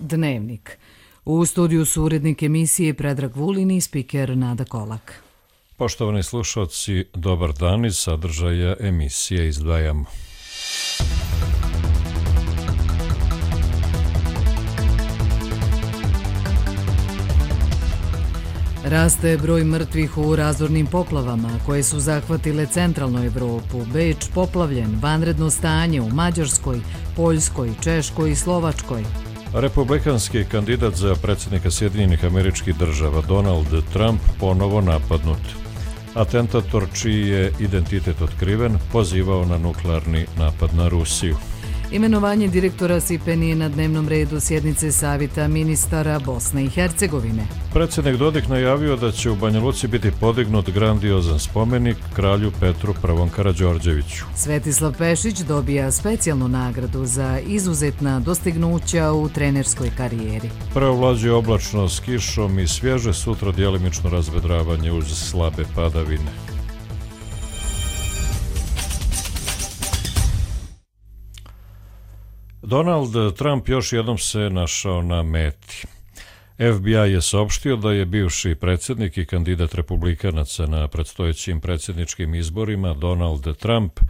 Dnevnik. U studiju su urednik emisije Predrag Vulin i spiker Nada Kolak. Poštovani slušalci, dobar dan, iz sadržaja emisije izdvajamo. Raste broj mrtvih u razornim poplavama koje su zahvatile centralnu Evropu. Beč poplavljen, vanredno stanje u Mađarskoj, Poljskoj, Češkoj i Slovačkoj. Republikanski kandidat za predsjednika Sjedinjenih Američkih Država Donald Trump ponovo napadnut. Atentator, čiji je identitet otkriven, pozivao na nuklearni napad na Rusiju. Imenovanje direktora SIPEN je na dnevnom redu sjednice Savjeta ministara Bosne i Hercegovine. Predsjednik Dodik najavio da će u Banja Luci biti podignut grandiozan spomenik kralju Petru I. Karađorđeviću. Svetislav Pešić dobija specijalnu nagradu za izuzetna dostignuća u trenerskoj karijeri. Preovlađuje oblačno s kišom i svježe, sutra djelimično razvedravanje uz slabe padavine. Donald Trump još jednom se našao na meti. FBI je saopštio da je bivši predsjednik i kandidat republikanaca na predstojećim predsjedničkim izborima Donald Trump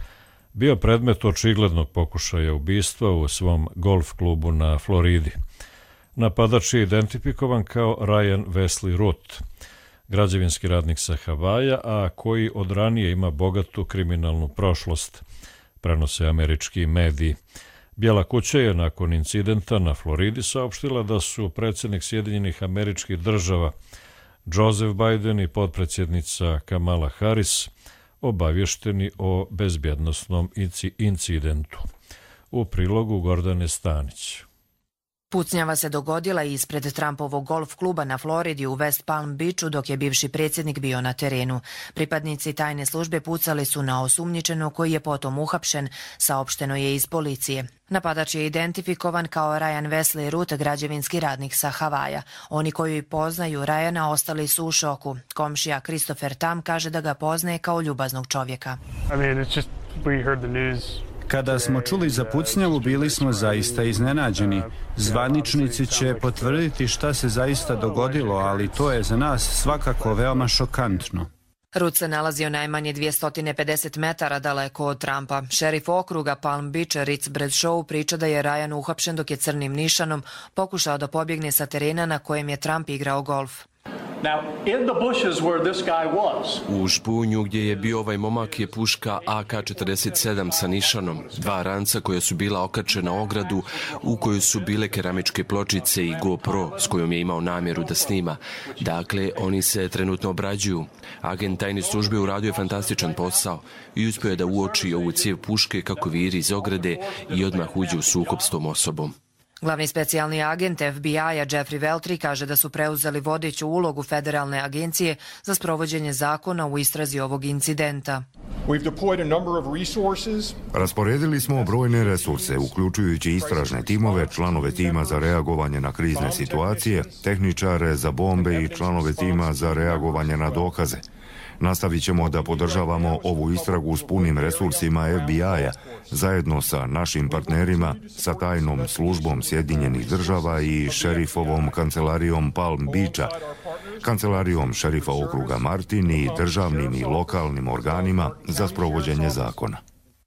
bio predmet očiglednog pokušaja ubistva u svom golf klubu na Floridi. Napadač je identifikovan kao Ryan Wesley Root, građevinski radnik sa Havaja, a koji od ranije ima bogatu kriminalnu prošlost, prenose američki mediji. Bijela kuća je nakon incidenta na Floridi saopštila da su predsjednik Sjedinjenih Američkih Država Joseph Biden i potpredsjednica Kamala Harris obavješteni o bezbjednosnom incidentu. U prilogu Gordane Stanić. Pucnjava se dogodila ispred Trumpovog golf kluba na Floridi u West Palm Beachu dok je bivši predsjednik bio na terenu. Pripadnici tajne službe pucali su na osumnjičenog koji je potom uhapšen, saopšteno je iz policije. Napadač je identifikovan kao Ryan Wesley Root, građevinski radnik sa Havaja. Oni koji poznaju Ryana ostali su u šoku. Komšija Christopher Tam kaže da ga poznaje kao ljubaznog čovjeka. Kada smo čuli za pucnjavu, bili smo zaista iznenađeni. Zvaničnici će potvrditi šta se zaista dogodilo, ali to je za nas svakako veoma šokantno. Root se nalazio najmanje 250 metara daleko od Trumpa. Šerif okruga Palm Beach Ritz Bradshaw priča da je Ryan uhapšen dok je crnim nišanom pokušao da pobjegne sa terena na kojem je Trump igrao golf. U špunju gdje je bio ovaj momak je puška AK-47 sa nišanom, 2 ranca koja su bila okačena ogradu u kojoj su bile keramičke pločice i GoPro s kojom je imao namjeru da snima. Dakle, oni se trenutno obrađuju. Agent tajne službe uradio je fantastičan posao i uspio je da uoči ovu cijev puške kako viri iz ograde i odmah uđe u sukob s tom osobom. Glavni specijalni agent FBI-a Jeffrey Veltri kaže da su preuzeli vodeću ulogu federalne agencije za sprovođenje zakona u istrazi ovog incidenta. Rasporedili smo brojne resurse, uključujući istražne timove, članove tima za reagovanje na krizne situacije, tehničare za bombe i članove tima za reagovanje na dokaze. Nastavit ćemo da podržavamo ovu istragu s punim resursima FBI-a, zajedno sa našim partnerima, sa tajnom službom Sjedinjenih Država i šerifovom kancelarijom Palm Beacha, kancelarijom šerifa okruga Martin i državnim i lokalnim organima za sprovođenje zakona.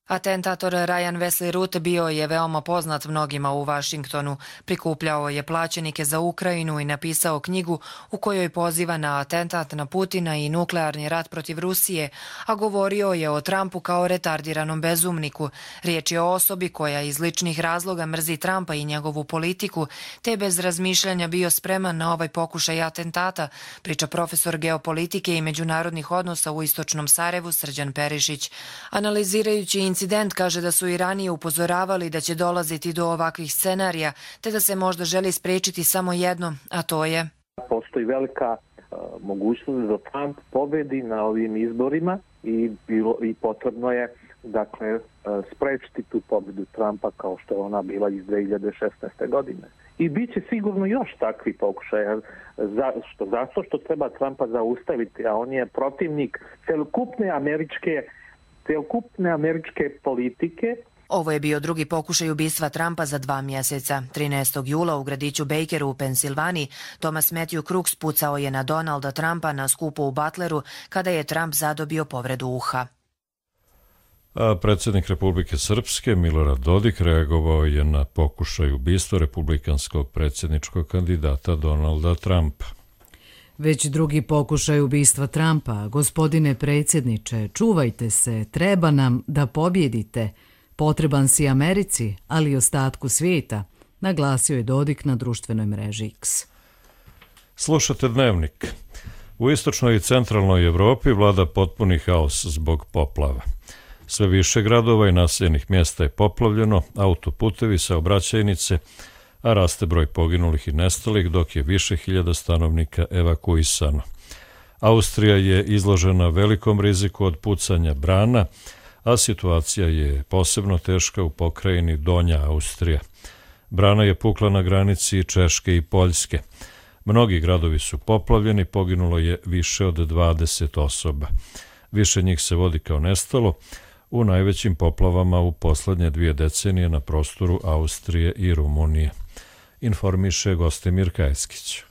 Atentator Ryan Wesley Root bio je veoma poznat mnogima u Vašingtonu. Prikupljao je plaćenike za Ukrajinu i napisao knjigu u kojoj poziva na atentat na Putina i nuklearni rat protiv Rusije, a govorio je o Trumpu kao retardiranom bezumniku. Riječ je o osobi koja iz ličnih razloga mrzi Trumpa i njegovu politiku, te bez razmišljanja bio spreman na ovaj pokušaj atentata, priča profesor geopolitike i međunarodnih odnosa u Istočnom Sarajevu Srđan Perišić. Analizirajući incident kaže da su i ranije upozoravali da će dolaziti do ovakvih scenarija, te da se možda želi spriječiti samo jedno, a to je... Postoji velika mogućnost da Trump pobedi na ovim izborima i potrebno je sprečiti tu pobedu Trumpa kao što je ona bila iz 2016. godine. I bit će sigurno još takvi pokušaja. Zato što treba Trumpa zaustaviti, a on je protivnik celokupne američke politike. Ovo je bio drugi pokušaj ubistva Trumpa za 2 mjeseca. 13. jula u gradiću Bakeru u Pensilvaniji Thomas Matthew Crooks pucao je na Donalda Trumpa na skupu u Butleru kada je Trump zadobio povredu uha. A predsjednik Republike Srpske Milorad Dodik reagovao je na pokušaj ubistva republikanskog predsjedničkog kandidata Donalda Trumpa. Već drugi pokušaj ubistva Trumpa. Gospodine predsjedniče, čuvajte se, treba nam da pobjedite. Potreban si Americi, ali i ostatku svijeta, naglasio je Dodik na društvenoj mreži X. Slušate Dnevnik. U istočnoj i centralnoj Evropi vlada potpuni haos zbog poplava. Sve više gradova i naseljenih mjesta je poplavljeno, autoputevi, saobraćajnice, a raste broj poginulih i nestalih, dok je više hiljada stanovnika evakuisano. Austrija je izložena velikom riziku od pucanja brana, a situacija je posebno teška u pokrajini Donja Austrija. Brana je pukla na granici Češke i Poljske. Mnogi gradovi su poplavljeni, poginulo je više od 20 osoba. Više njih se vodi kao nestalo u najvećim poplavama u poslednje 2 decenije na prostoru Austrije i Rumunije. Informiše Gostimir Kajskić.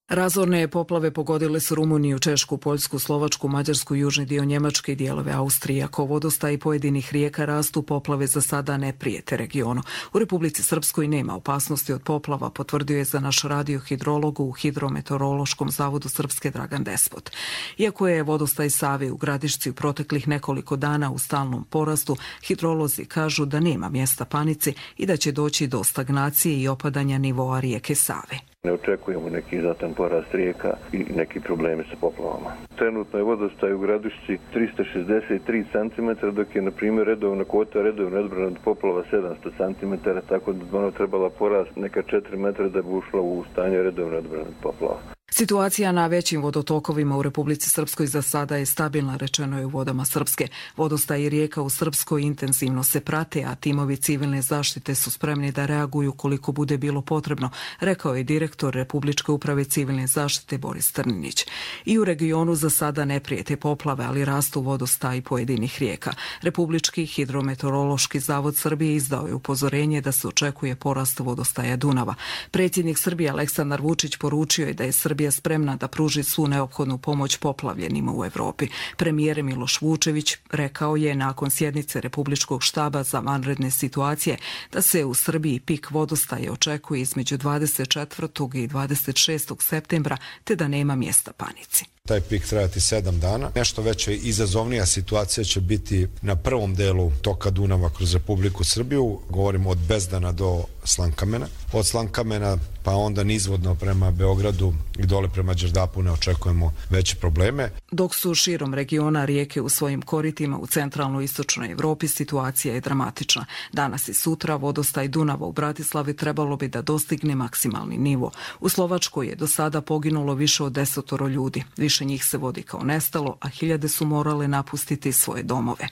Razorne poplave pogodile su Rumuniju, Češku, Poljsku, Slovačku, Mađarsku, južni dio Njemačke i dijelove Austrije. Ako vodostaj pojedinih rijeka rastu, poplave za sada ne prijete regionu. U Republici Srpskoj nema opasnosti od poplava, potvrdio je za naš radio hidrolog u Hidrometeorološkom zavodu Srpske Dragan Despot. Iako je vodostaj Save u Gradišci u proteklih nekoliko dana u stalnom porastu, hidrolozi kažu da nema mjesta panici i da će doći do stagnacije i opadanja nivoa rijeke Save. Ne očekujemo neki znatan porast rijeka i neki problemi sa poplavama. Trenutno je vodostaj u Gradišci 363 cm, dok je, na primjer, redovna kvota redovna odbrana od poplava 700 cm, tako da ona trebala porast neka 4 metra da bi ušla u stanje redovne odbrane od poplava. Situacija na većim vodotokovima u Republici Srpskoj za sada je stabilna, rečeno je u Vodama Srpske. Vodostaj i rijeka u Srpskoj intenzivno se prate, a timovi civilne zaštite su spremni da reaguju koliko bude bilo potrebno, rekao je direktor Republičke uprave civilne zaštite Boris Trninić. I u regionu za sada ne prijete poplave, ali rastu vodostaj pojedinih rijeka. Republički hidrometeorološki zavod Srbije izdao je upozorenje da se očekuje porast vodostaja Dunava. Predsjednik Srbije Aleksandar Vučić poručio je da je Srbija spremna da pruži svu neophodnu pomoć poplavljenima u Evropi. Premijer Miloš Vučević rekao je nakon sjednice Republičkog štaba za vanredne situacije da se u Srbiji pik vodostaja očekuje između 24. i 26. septembra, te da nema mjesta panici. Taj pik trajati 7 dana. Nešto veća izazovnija situacija će biti na prvom delu toka Dunava kroz Republiku Srbiju. Govorimo od Bezdana do Slankamena. Od Slankamena pa onda nizvodno prema Beogradu i dole prema Đerdapu ne očekujemo veće probleme. Dok su širom regiona rijeke u svojim koritima u centralnoj i istočnoj Evropi, situacija je dramatična. Danas i sutra vodostaj Dunava u Bratislavi trebalo bi da dostigne maksimalni nivo. U Slovačkoj je do sada poginulo više od 10 ljudi. Više njih se vodi kao nestalo, a hiljade su morale napustiti svoje domove.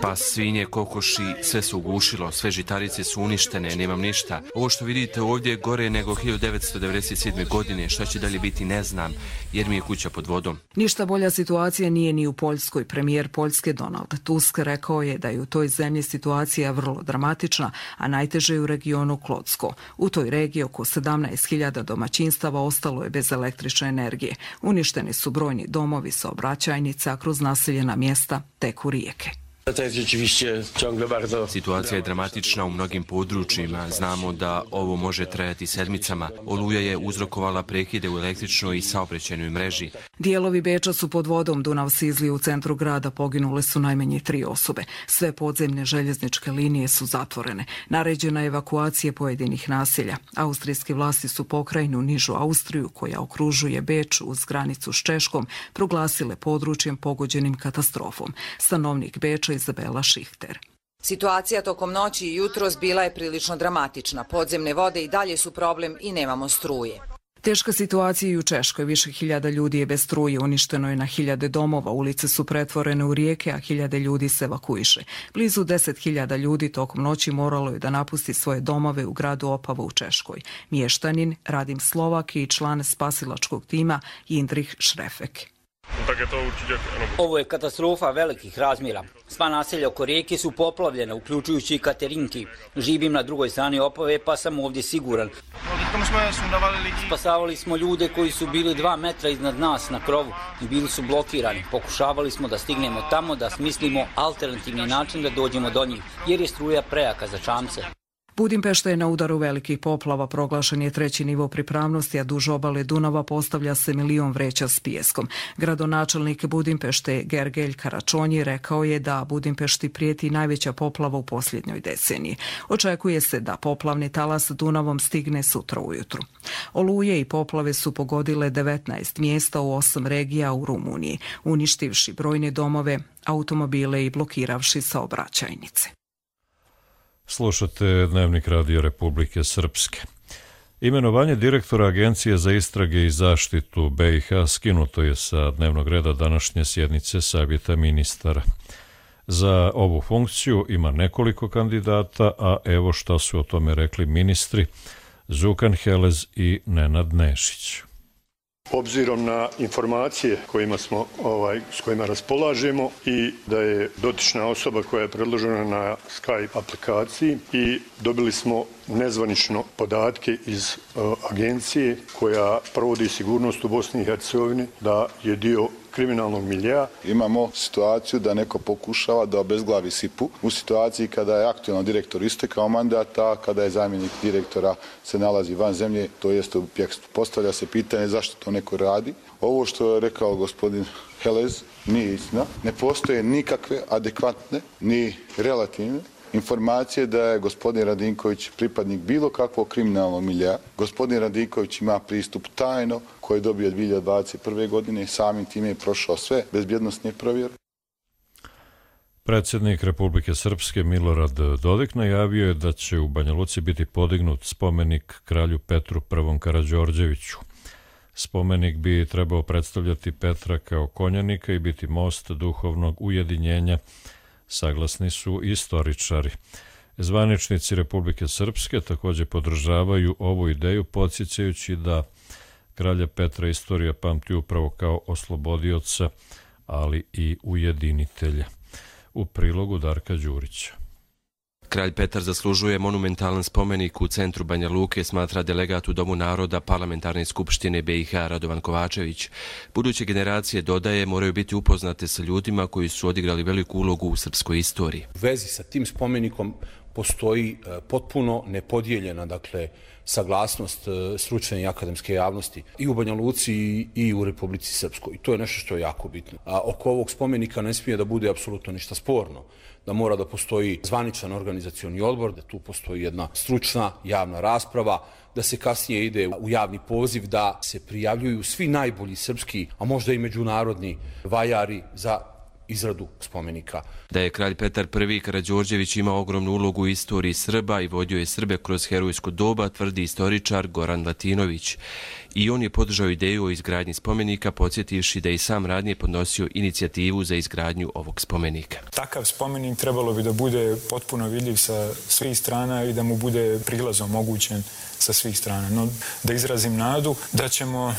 Pa svinje, kokoši, sve se ugušilo, sve žitarice su uništene, nemam ništa. Ovo što vidite ovdje je gore nego 1997. godine, što će dalje biti ne znam, jer mi je kuća pod vodom. Ništa bolja situacija nije ni u Poljskoj. Premijer Poljske Donald Tusk rekao je da je u toj zemlji situacija vrlo dramatična, a najteže je u regionu Klodsko. U toj regiji oko 17.000 domaćinstava ostalo je bez električne energije. Uništeni su brojni domovi, saobraćajnice, a kroz naseljena mjesta teku rijeke. Situacija je dramatična u mnogim područjima. Znamo da ovo može trajati sedmicama. Oluja je uzrokovala prekide u električnoj i saobraćajnoj mreži. Dijelovi Beča su pod vodom. Dunav sizli u centru grada, poginule su najmanje 3 osobe. Sve podzemne željezničke linije su zatvorene. Naređena je evakuacija pojedinih naselja. Austrijske vlasti su pokrajinu Nižu Austriju, koja okružuje Beč uz granicu s Češkom, proglasile područjem pogođenim katastrofom. Stanovnik Beča Izabela Šihter. Situacija tokom noći i jutros bila je prilično dramatična. Podzemne vode i dalje su problem i nemamo struje. Teška situacija i u Češkoj. Više hiljada ljudi je bez struje, uništeno je na hiljade domova, ulice su pretvorene u rijeke, a hiljade ljudi se evakuiše. Blizu 10.000 ljudi tokom noći moralo je da napusti svoje domove u gradu Opava u Češkoj. Mještanin Radim Slovak i član spasilačkog tima Jindrih Šrefek. Ovo je katastrofa velikih razmjera. Sva naselja oko rijeke su poplavljene, uključujući i Katerinki. Živim na drugoj strani Opave, pa sam ovdje siguran. Spasavali smo ljude koji su bili 2 metra iznad nas na krovu i bili su blokirani. Pokušavali smo da stignemo tamo, da smislimo alternativni način da dođemo do njih, jer je struja prejaka za čamce. Budimpešta je na udaru velikih poplava, proglašen je 3. nivo pripravnosti, a duž obale Dunava postavlja se 1 milion vreća s pijeskom. Gradonačelnik Budimpešte Gergelj Karačonji rekao je da Budimpešti prijeti najveća poplava u posljednjoj deceniji. Očekuje se da poplavni talas Dunavom stigne sutra ujutru. Oluje i poplave su pogodile 19 mjesta u 8 regija u Rumuniji, uništivši brojne domove, automobile i blokiravši saobraćajnice. Slušate Dnevnik Radio Republike Srpske. Imenovanje direktora Agencije za istrage i zaštitu BiH skinuto je sa dnevnog reda današnje sjednice Savjeta ministara. Za ovu funkciju ima nekoliko kandidata, a evo šta su o tome rekli ministri Zukan Helez i Nenad Nešić. Obzirom na informacije s kojima raspolažemo i da je dotična osoba koja je predložena na Skype aplikaciji i dobili smo nezvanično podatke iz agencije koja provodi sigurnost u Bosni i Hercegovini da je dio kriminalnog miljea. Imamo situaciju da neko pokušava da obezglavi SIP-u u situaciji kada je aktualni direktor istekao mandata, kada je zamjenik direktora se nalazi van zemlje, to jest u bjegstvu. Postavlja se pitanje zašto to neko radi. Ovo što je rekao gospodin Helez nije istina. Ne postoje nikakve adekvatne ni relativne informacije da je gospodin Radinković pripadnik bilo kakvog kriminalnog miljea. Gospodin Radinković ima pristup tajno koji je dobio 2021. godine, samim time je prošao sve bezbjednosne provjere. Predsjednik Republike Srpske Milorad Dodik najavio je da će u Banja Luci biti podignut spomenik kralju Petru I. Karađorđeviću. Spomenik bi trebao predstavljati Petra kao konjanika i biti most duhovnog ujedinjenja, saglasni su istoričari. Zvaničnici Republike Srpske također podržavaju ovu ideju, podsjećajući da kralja Petra istorija pamti upravo kao oslobodioca, ali i ujedinitelja. U prilogu Darka Đurića. Kralj Petar zaslužuje monumentalan spomenik u centru Banja Luke, smatra delegat u Domu naroda Parlamentarne skupštine BiH Radovan Kovačević. Buduće generacije, dodaje, moraju biti upoznate sa ljudima koji su odigrali veliku ulogu u srpskoj istoriji. U vezi sa tim spomenikom postoji potpuno nepodijeljena, saglasnost stručne i akademske javnosti i u Banja Luci i u Republici Srpskoj. I to je nešto što je jako bitno. A oko ovog spomenika ne smije da bude apsolutno ništa sporno. Da mora da postoji zvaničan organizacioni odbor, da tu postoji jedna stručna javna rasprava, da se kasnije ide u javni poziv, da se prijavljuju svi najbolji srpski, a možda i međunarodni vajari za izradu spomenika. Da je kralj Petar I. Karađorđević imao ogromnu ulogu u istoriji Srba i vodio je Srbe kroz herojsko doba, tvrdi istoričar Goran Latinović. I on je podržao ideju o izgradnji spomenika, podsjetivši da je i sam ranije podnosio inicijativu za izgradnju ovog spomenika. Takav spomenik trebalo bi da bude potpuno vidljiv sa svih strana i da mu bude prilaz omogućen sa svih strana. No, da izrazim nadu da ćemo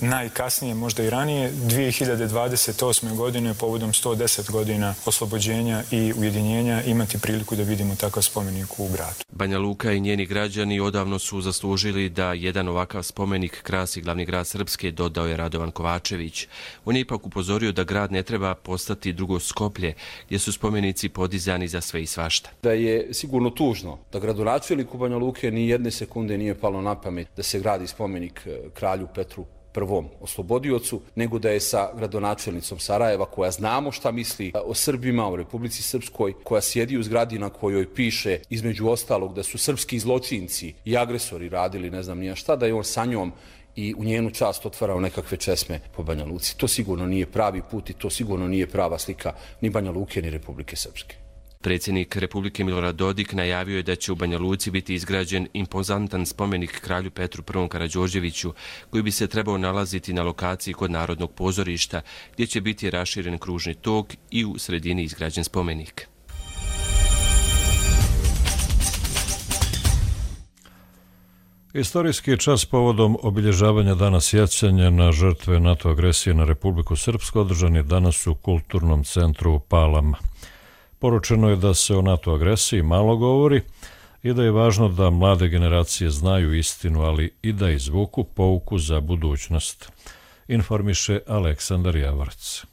najkasnije, možda i ranije, 2028. godine povodom 110 godina oslobođenja i ujedinjenja imati priliku da vidimo takav spomenik u gradu. Banja Luka i njeni građani odavno su zaslužili da jedan ovakav spomenik krasi glavni grad Srpske, dodao je Radovan Kovačević. On je ipak upozorio da grad ne treba postati drugo Skoplje, gdje su spomenici podizani za sve i svašta. Da je sigurno tužno da gradonačelniku Banja Luke ni jedne sekunde nije palo na pamet da se gradi spomenik kralju Petru I. oslobodiocu, nego da je sa gradonačelnicom Sarajeva, koja znamo šta misli o Srbima u Republici Srpskoj, koja sjedi u zgradi na kojoj piše između ostalog da su srpski zločinci i agresori radili ne znam nija šta, da je on sa njom i u njenu čast otvarao nekakve česme po Banja Luci. To sigurno nije pravi put i to sigurno nije prava slika ni Banja Luke ni Republike Srpske. Predsjednik Republike Milorad Dodik najavio je da će u Banja Luci biti izgrađen impozantan spomenik kralju Petru I. Karađorđeviću, koji bi se trebao nalaziti na lokaciji kod Narodnog pozorišta, gdje će biti raširen kružni tok i u sredini izgrađen spomenik. Istorijski čas povodom obilježavanja Dana sjećanja na žrtve NATO agresije na Republiku Srpsku održan je danas u Kulturnom centru u Palama. Poručeno je da se o NATO agresiji malo govori i da je važno da mlade generacije znaju istinu, ali i da izvuku pouku za budućnost, informiše Aleksandar Javarac.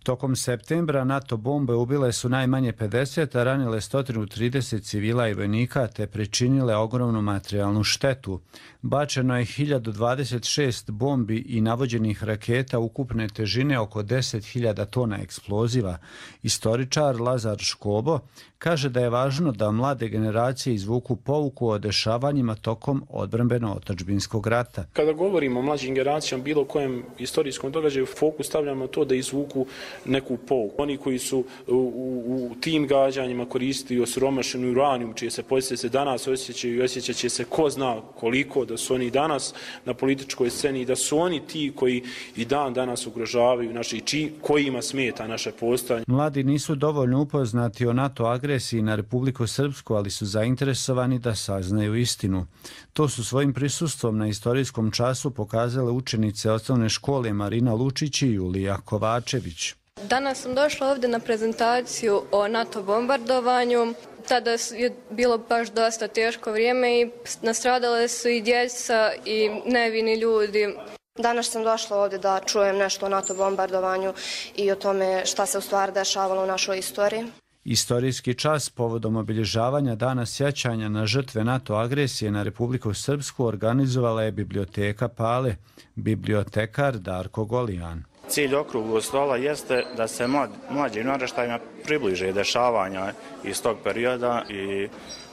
Tokom septembra NATO bombe ubile su najmanje 50, a ranile 130 civila i vojnika te pričinile ogromnu materijalnu štetu. Bačeno je 1026 bombi i navođenih raketa ukupne težine oko 10.000 tona eksploziva. Istoričar Lazar Škobo kaže da je važno da mlade generacije izvuku pouku o dešavanjima tokom odbrambeno-otadžbinskog rata. Kada govorimo o mlađim generacijama, bilo kojem istorijskom događaju, fokus stavljamo to da izvuku neku pouku. Oni koji su u tim gađanjima koristili osiromašenu uranijum, čije se posljedice danas osjećaju i osjećat će se ko zna koliko, da su oni danas na političkoj sceni i da su oni ti koji i dan danas ugrožavaju naše kojima smeta naše postojanje. Mladi nisu dovoljno upoznati o NATO agresiji na Republiku Srpsku, ali su zainteresovani da saznaju istinu. To su svojim prisustvom na istorijskom času pokazale učenice osnovne škole Marina Lučić i Julija Kovačević. Danas sam došla ovdje na prezentaciju o NATO bombardovanju. Tada je bilo baš dosta teško vrijeme i nastradale su i djeca i nevini ljudi. Danas sam došla ovdje da čujem nešto o NATO bombardovanju i o tome šta se u stvari dešavalo u našoj istoriji. Istorijski čas povodom obilježavanja Dana sjećanja na žrtve NATO agresije na Republiku Srpsku organizovala je Biblioteka Pale, bibliotekar Darko Golijan. Cilj okruglog stola jeste da se mlađim naraštajima približe dešavanja iz tog perioda i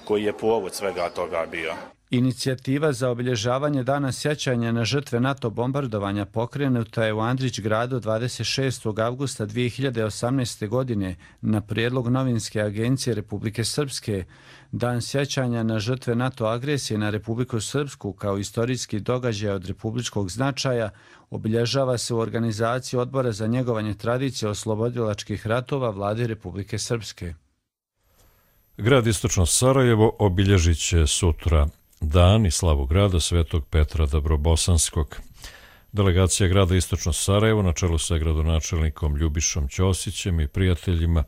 koji je povod svega toga bio. Inicijativa za obilježavanje Dana sjećanja na žrtve NATO bombardovanja pokrenuta je u Andrić gradu 26. avgusta 2018. godine na prijedlog Novinske agencije Republike Srpske. Dan sjećanja na žrtve NATO agresije na Republiku Srpsku kao istorijski događaj od republičkog značaja obilježava se u organizaciji Odbora za njegovanje tradicije oslobodilačkih ratova Vlade Republike Srpske. Grad Istočno Sarajevo obilježit će sutra dan i slavu grada Svetog Petra Dabrobosanskog. Delegacija grada Istočno Sarajevo na čelu sa gradonačelnikom Ljubišom Ćosićem i prijateljima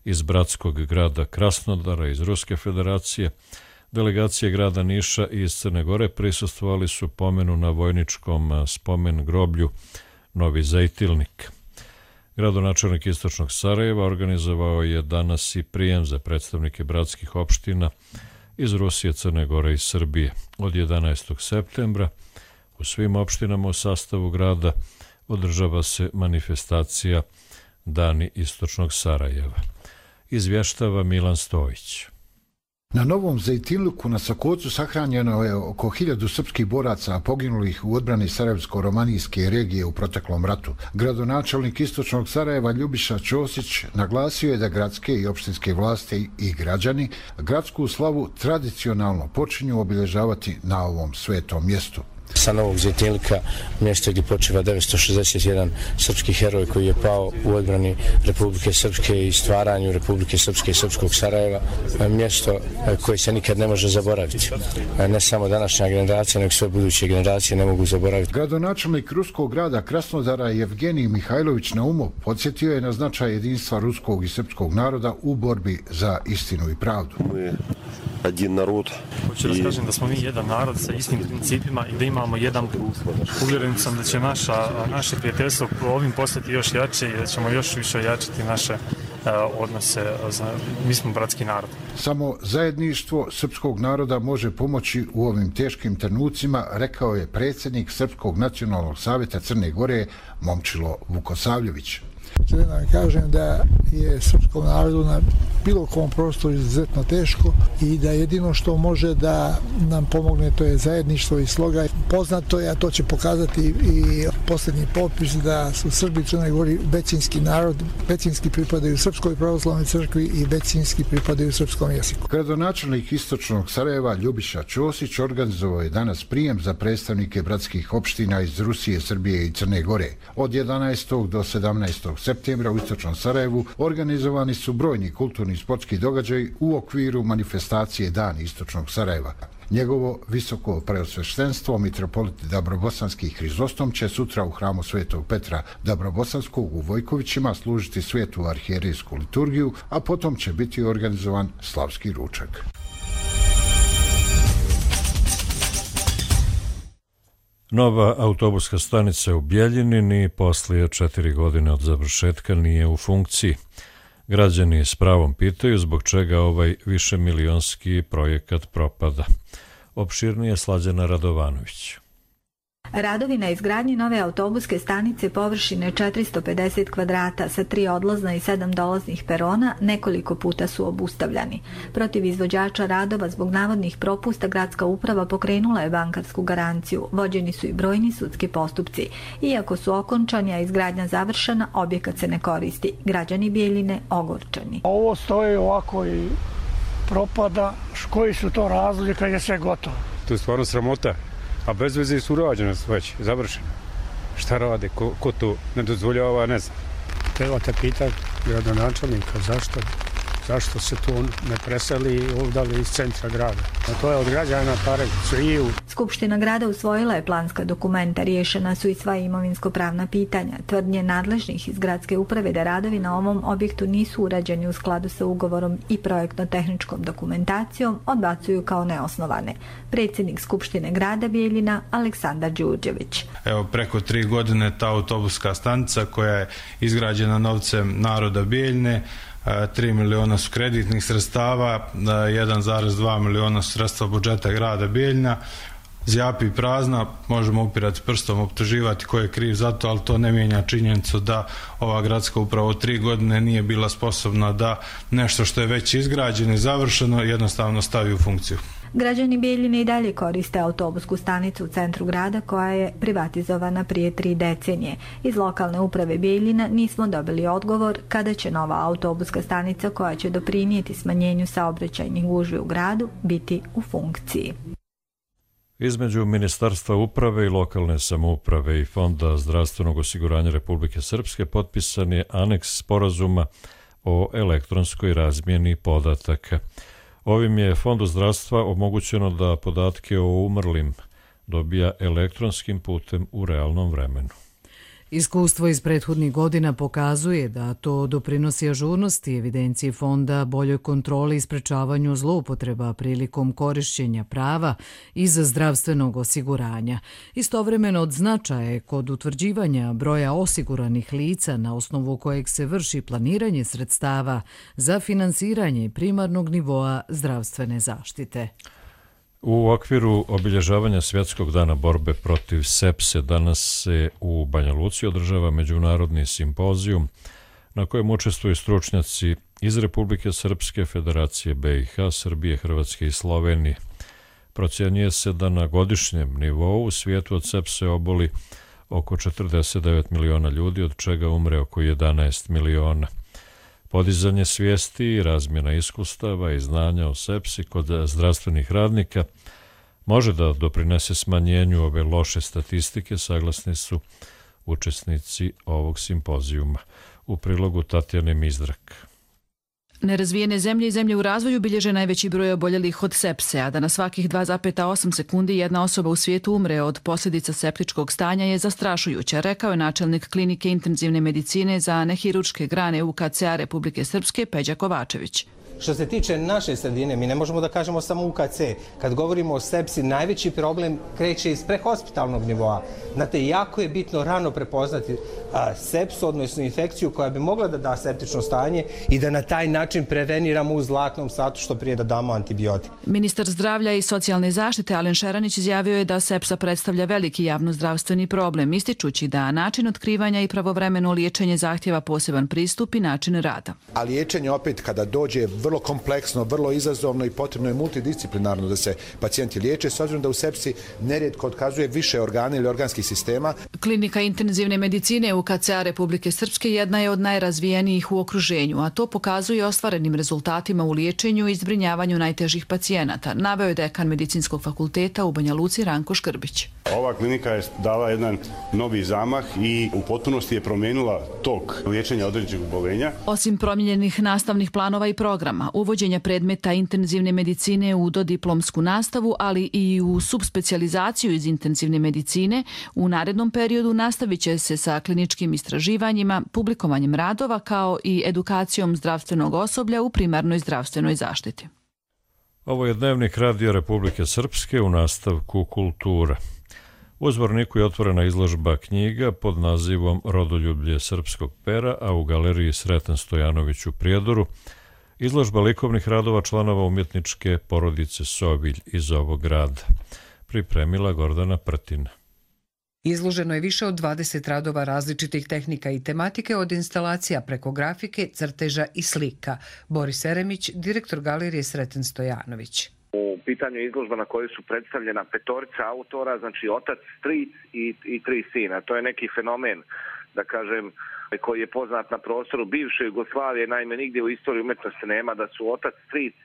iz bratskog grada Krasnodara iz Ruske federacije, delegacije grada Niša i iz Crne Gore prisustvovali su pomenu na vojničkom spomen groblju Novi Zajtilnik. Gradonačelnik Istočnog Sarajeva organizovao je danas i prijem za predstavnike bratskih opština iz Rusije, Crne Gore i Srbije. Od 11. septembra u svim opštinama u sastavu grada održava se manifestacija Dani Istočnog Sarajeva. Izvještava Milan Stojić. Na Novom Zajtilniku na Sokocu sahranjeno je oko 1000 srpskih boraca poginulih u odbrani Sarajevsko-romanijske regije u proteklom ratu. Gradonačelnik Istočnog Sarajeva Ljubiša Ćosić naglasio je da gradske i opštinske vlasti i građani gradsku slavu tradicionalno počinju obilježavati na ovom svetom mjestu. Sa Novog Zajtilnika, mjesto gdje počiva 961 srpski heroj koji je pao u odbrani Republike Srpske i stvaranju Republike Srpske i Srpskog Sarajeva, mjesto koje se nikad ne može zaboraviti. Ne samo današnja generacija, nego sve buduće generacije ne mogu zaboraviti. Gradonačelnik ruskog grada Krasnodara Evgenij Mihajlović Naumov podsjetio je na značaj jedinstva ruskog i srpskog naroda u borbi za istinu i pravdu. Jedan narod. Hoću da kažem da smo mi jedan narod sa istim principima i da imamo jedan put. Uvjeren sam da će naše prijateljstvo ovim postati još jače i da ćemo još više jačati naše odnose. Mi smo bratski narod. Samo zajedništvo srpskog naroda može pomoći u ovim teškim trenucima, rekao je predsjednik Srpskog nacionalnog savjeta Crne Gore Momčilo Vukosavljević. Želim da kažem da je srpskom narodu na bilo kom prostoru izuzetno teško i da jedino što može da nam pomogne to je zajedništvo i sloga. Poznato je, a to će pokazati i posljednji popis, da su Srbi i Crnoj Gori većinski narod, većinski pripadaju Srpskoj pravoslavnoj crkvi i većinski pripadaju srpskom jeziku. Gradonačelnik Istočnog Sarajeva Ljubiša Ćosić organizovao je danas prijem za predstavnike bratskih opština iz Rusije, Srbije i Crne Gore. Od 11. do 17. septembra u Istočnom Sarajevu organizovani su brojni kulturni i sportski događaji u okviru manifestacije Dani Istočnog Sarajeva. Njegovo visoko preosveštenstvo mitropolit Dabrobosanski Hrizostom će sutra u hramu Svetog Petra Dabrobosanskog u Vojkovićima služiti svetu arhijerijsku liturgiju, a potom će biti organizovan slavski ručak. Nova autobuska stanica u Bjeljini ni poslije 4 godine od završetka nije u funkciji. Građani s pravom pitaju zbog čega ovaj višemilionski projekat propada. Opširnije Slađana Radovanović. Radovi na izgradnji nove autobuske stanice površine 450 kvadrata sa 3 odlazna i 7 dolaznih perona nekoliko puta su obustavljani. Protiv izvođača radova zbog navodnih propusta gradska uprava pokrenula je bankarsku garanciju. Vođeni su i brojni sudski postupci. Iako su okončani, a izgradnja završena, objekat se ne koristi. Građani Bjeljine ogorčani. Ovo stoji ovako i propada. Koji su to razlozi kad je sve gotovo? To je stvarno sramota. A bez veze su urađene već, završene. Šta rade, ko to ne dozvoljava, ne znam. Trebate pitati gradonačelnika zašto se tu ne preseli ovdje iz centra grada. A to je od građana pare sviju. Skupština grada usvojila je planska dokumenta, riješena su i sva imovinsko-pravna pitanja. Tvrdnje nadležnih iz gradske uprave da radovi na ovom objektu nisu urađeni u skladu sa ugovorom i projektno-tehničkom dokumentacijom odbacuju kao neosnovane. Predsjednik Skupštine grada Bjeljina Aleksandar Đurđević. Evo, preko 3 godine ta autobuska stanica koja je izgrađena novcem naroda Bjeljine, 3 miliona su kreditnih sredstava, 1,2 miliona su sredstva budžeta grada Bjeljina, zjapi prazna, možemo upirati prstom, optuživati ko je kriv za to, ali to ne mijenja činjenicu da ova gradska uprava 3 godine nije bila sposobna da nešto što je već izgrađeno i završeno jednostavno stavi u funkciju. Građani Bjeljine i dalje koriste autobusku stanicu u centru grada koja je privatizovana prije 3 decenije. Iz lokalne uprave Bjeljina nismo dobili odgovor kada će nova autobuska stanica koja će doprinijeti smanjenju saobraćajnih gužvi u gradu biti u funkciji. Između Ministarstva uprave i lokalne samouprave i Fonda zdravstvenog osiguranja Republike Srpske potpisan je aneks sporazuma o elektronskoj razmjeni podataka. Ovim je Fondu zdravstva omogućeno da podatke o umrlim dobija elektronskim putem u realnom vremenu. Iskustvo iz prethodnih godina pokazuje da to doprinosi ažurnosti evidencije fonda, boljoj kontroli i sprečavanju zloupotreba prilikom korišćenja prava iz zdravstvenog osiguranja. Istovremeno od značaja je kod utvrđivanja broja osiguranih lica na osnovu kojeg se vrši planiranje sredstava za finansiranje primarnog nivoa zdravstvene zaštite. U okviru obilježavanja Svjetskog dana borbe protiv sepse danas se u Banja Luci održava međunarodni simpozijum na kojem učestvuju stručnjaci iz Republike Srpske, Federacije BiH, Srbije, Hrvatske i Slovenije. Procjenjuje se da na godišnjem nivou u svijetu od sepse oboli oko 49 miliona ljudi, od čega umre oko 11 miliona. Podizanje svijesti i razmjena iskustava i znanja o sepsi kod zdravstvenih radnika može da doprinese smanjenju ove loše statistike, saglasni su učesnici ovog simpozijuma. U prilogu Tatjane Mizdrak. Nerazvijene zemlje i zemlje u razvoju bilježe najveći broj oboljelih od sepse, a da na svakih 2,8 sekundi jedna osoba u svijetu umre od posljedica septičkog stanja je zastrašujuća, rekao je načelnik klinike intenzivne medicine za nehirurške grane UKC-a Republike Srpske Peđa Kovačević. Što se tiče naše sredine, mi ne možemo da kažemo samo UKC. Kad govorimo o sepsi, najveći problem kreće iz prehospitalnog nivoa. Znate, jako je bitno rano prepoznati sepsu, odnosno infekciju koja bi mogla da da septično stanje i da na taj način preveniramo u zlatnom satu što prije da damo antibiotik. Ministar zdravlja i socijalne zaštite Alen Šeranić izjavio je da sepsa predstavlja veliki javnozdravstveni problem, ističući da način otkrivanja i pravovremeno liječenje zahtjeva poseban pristup i način rada. A liječenje opet kada dođe vrlo kompleksno, vrlo izazovno i potrebno je multidisciplinarno da se pacijenti liječe, s obzirom da u sepsi nerijetko otkazuje više organa ili organskih sistema. Klinika intenzivne medicine UKC-a Republike Srpske jedna je od najrazvijenijih u okruženju, a to pokazuje ostvarenim rezultatima u liječenju i zbrinjavanju najtežih pacijenata, naveo je dekan Medicinskog fakulteta u Banja Luci Ranko Škrbić. Ova klinika je dala jedan novi zamah i u potpunosti je promijenila tok liječenja određenih oboljenja. Osim promijenjenih nastavnih planova i programa, uvođenja predmeta intenzivne medicine u dodiplomsku nastavu, ali i u subspecijalizaciju iz intenzivne medicine, u narednom periodu nastavit će se sa kliničkim istraživanjima, publikovanjem radova kao i edukacijom zdravstvenog osoblja u primarnoj zdravstvenoj zaštiti. Ovo je Dnevnik Radio Republike Srpske u nastavku kultura. U Zvorniku je otvorena izložba knjiga pod nazivom Rodoljublje srpskog pera, a u galeriji Sreten Stojanović u Prijedoru izložba likovnih radova članova umjetničke porodice Sovilj iz ovog grada. Pripremila Gordana Prtina. Izloženo je više od 20 radova različitih tehnika i tematike, od instalacija preko grafike, crteža i slika. Boris Eremić, direktor galerije Sreten Stojanović. U pitanju izložba na kojoj su predstavljena petorica autora, znači otac, stric i tri sina. To je neki fenomen, da kažem, koji je poznat na prostoru bivše Jugoslavije. Naime, nigdje u istoriji umjetnosti nema da su otac, stric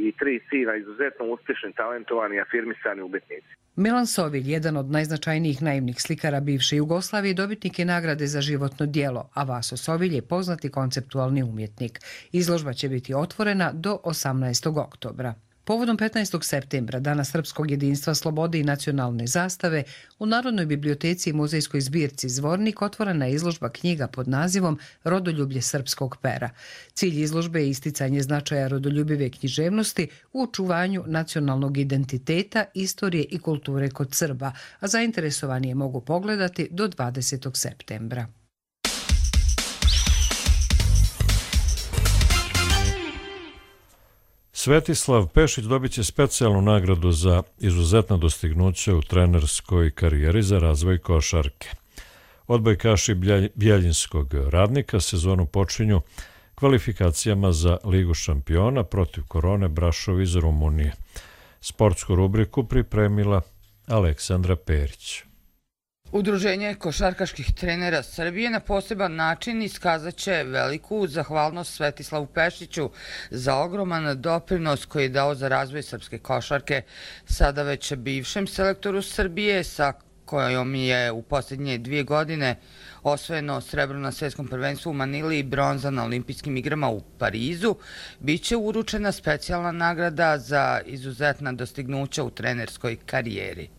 i tri sina izuzetno uspješni, talentovani, afirmisani umjetnici. Milan Sovilj, jedan od najznačajnijih naivnih slikara bivše Jugoslavije, dobitnik je nagrade za životno djelo, a Vaso Sovilj je poznati konceptualni umjetnik. Izložba će biti otvorena do 18. oktobra. Povodom 15. septembra, Dana srpskog jedinstva, slobode i nacionalne zastave, u Narodnoj biblioteci i muzejskoj zbirci Zvornik otvorena je izložba knjiga pod nazivom Rodoljublje srpskog pera. Cilj izložbe je isticanje značaja rodoljubive književnosti u očuvanju nacionalnog identiteta, istorije i kulture kod Srba, a zainteresovani je mogu pogledati do 20. septembra. Svetislav Pešić dobit će specijalnu nagradu za izuzetna dostignuća u trenerskoj karijeri za razvoj košarke. Odbojkaši Bjeljinskog Radnika sezonu počinju kvalifikacijama za Ligu šampiona protiv Korone Brašov iz Rumunije. Sportsku rubriku pripremila Aleksandra Perić. Udruženje košarkaških trenera Srbije na poseban način iskazat će veliku zahvalnost Svetislavu Pešiću za ogroman doprinos koji je dao za razvoj srpske košarke, sada već bivšem selektoru Srbije, sa kojom je u posljednje 2 godine osvojeno srebro na svjetskom prvenstvu u Manili i bronza na olimpijskim igrama u Parizu, bit će uručena specijalna nagrada za izuzetna dostignuća u trenerskoj karijeri.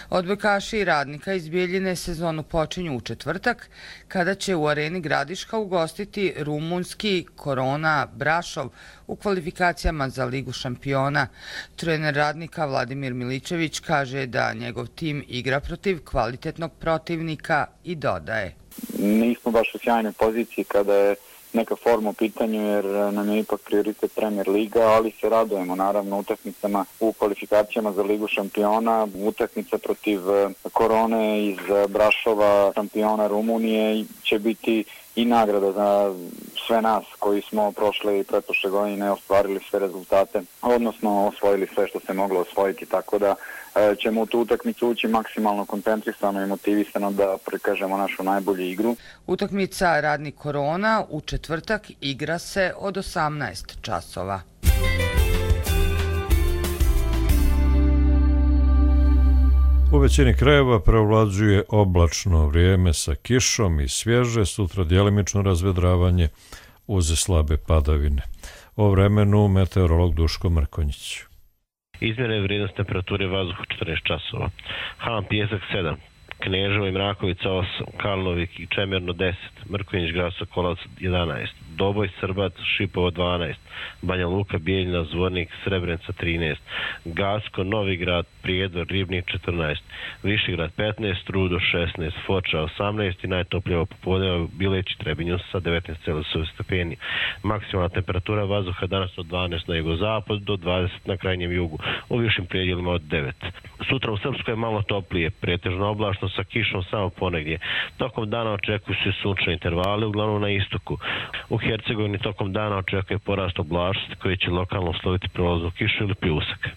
Odbojkaši Radnika iz Bijeljine sezonu počinju u četvrtak, kada će u areni Gradiška ugostiti rumunski Korona Brašov u kvalifikacijama za Ligu šampiona. Trener Radnika Vladimir Miličević kaže da njegov tim igra protiv kvalitetnog protivnika i dodaje: Nismo baš u sjajnoj poziciji kada je neka forma u pitanju, jer nam je ipak prioritet Premier Liga, ali se radujemo naravno utakmicama u kvalifikacijama za Ligu šampiona. Utakmica protiv Korone iz Brašova, šampiona Rumunije, će biti i nagrada za sve nas koji smo prošle i pretprošle godine ostvarili sve rezultate, odnosno osvojili sve što se moglo osvojiti, tako da ćemo u tu utakmicu ući maksimalno koncentrisano i motivisano da prikažemo našu najbolju igru. Utakmica Radnik Korona u četvrtak igra se od 18 časova. U većini krajeva preovlađuje oblačno vrijeme sa kišom i svježe, sutra djelimično razvedravanje uz slabe padavine. O vremenu meteorolog Duško Mrkonjić. Izmjena je vrijednost temperature vazduha 14 časova. Han Pijesak 7, Kneževo i Mrakovica 8, Kalnovik i Čemerno 10, Mrkonjić Grad Sokolac 11, Doboj, Srbac, Šipovo 12, Banja Luka, Bijeljina, Zvornik, Srebrenica 13, Gacko, Novigrad, Prijedor, Ribnik 14, Višegrad 15, Rudo 16, Foča 18 i najtopljivo popodne Bileć i Trebinju sa 19,7 stepeni. Maksimalna temperatura vazduha danas od 12 na jugozapad do 20 na krajnjem jugu, u višim predjelima od 9. Sutra u Srpskoj je malo toplije, pretežno oblačno sa kišom samo ponegdje. Tokom dana očekuju se sunčane intervale, uglavnom na istoku. U Hercegovini tokom dana očekuje porast oblačnosti koji će lokalno usloviti prolaznu kišu ili pljusak.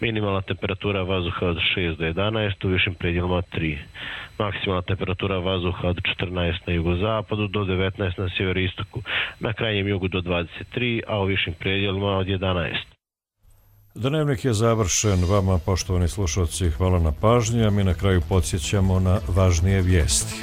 Minimalna temperatura vazduha od 6 do 11, u višim predjelima od 3. Maksimalna temperatura vazduha od 14 na jugozapadu do 19 na sjeveristoku, na krajnjem jugu do 23, a u višim predjelima od 11. Dnevnik je završen. Vama, poštovani slušalci, hvala na pažnji, a mi na kraju podsjećamo na važnije vijesti.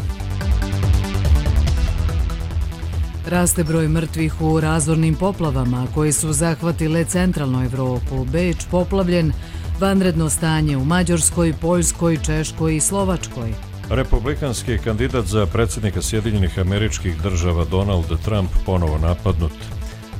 Raste broj mrtvih u razornim poplavama koji su zahvatile centralnu Evropu. Beč poplavljen, vanredno stanje u Mađarskoj, Poljskoj, Češkoj i Slovačkoj. Republikanski kandidat za predsjednika Sjedinjenih Američkih Država Donald Trump ponovo napadnut.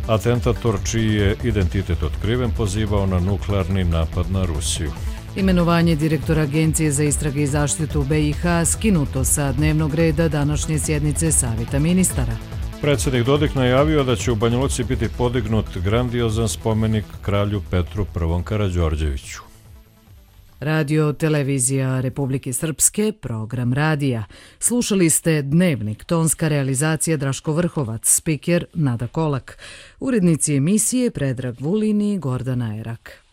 Atentator čiji je identitet otkriven pozivao na nuklearni napad na Rusiju. Imenovanje direktora Agencije za istrage i zaštitu BiH skinuto sa dnevnog reda današnje sjednice Savjeta ministara. Predsjednik Dodik najavio da će u Banja Luci biti podignut grandiozan spomenik kralju Petru I. Karađorđeviću. Radio Televizija Republike Srpske, program radija. Slušali ste Dnevnik, tonska realizacija Draško Vrhovac, spiker Nada Kolak. Urednici emisije Predrag Vulin i Gordana Erak.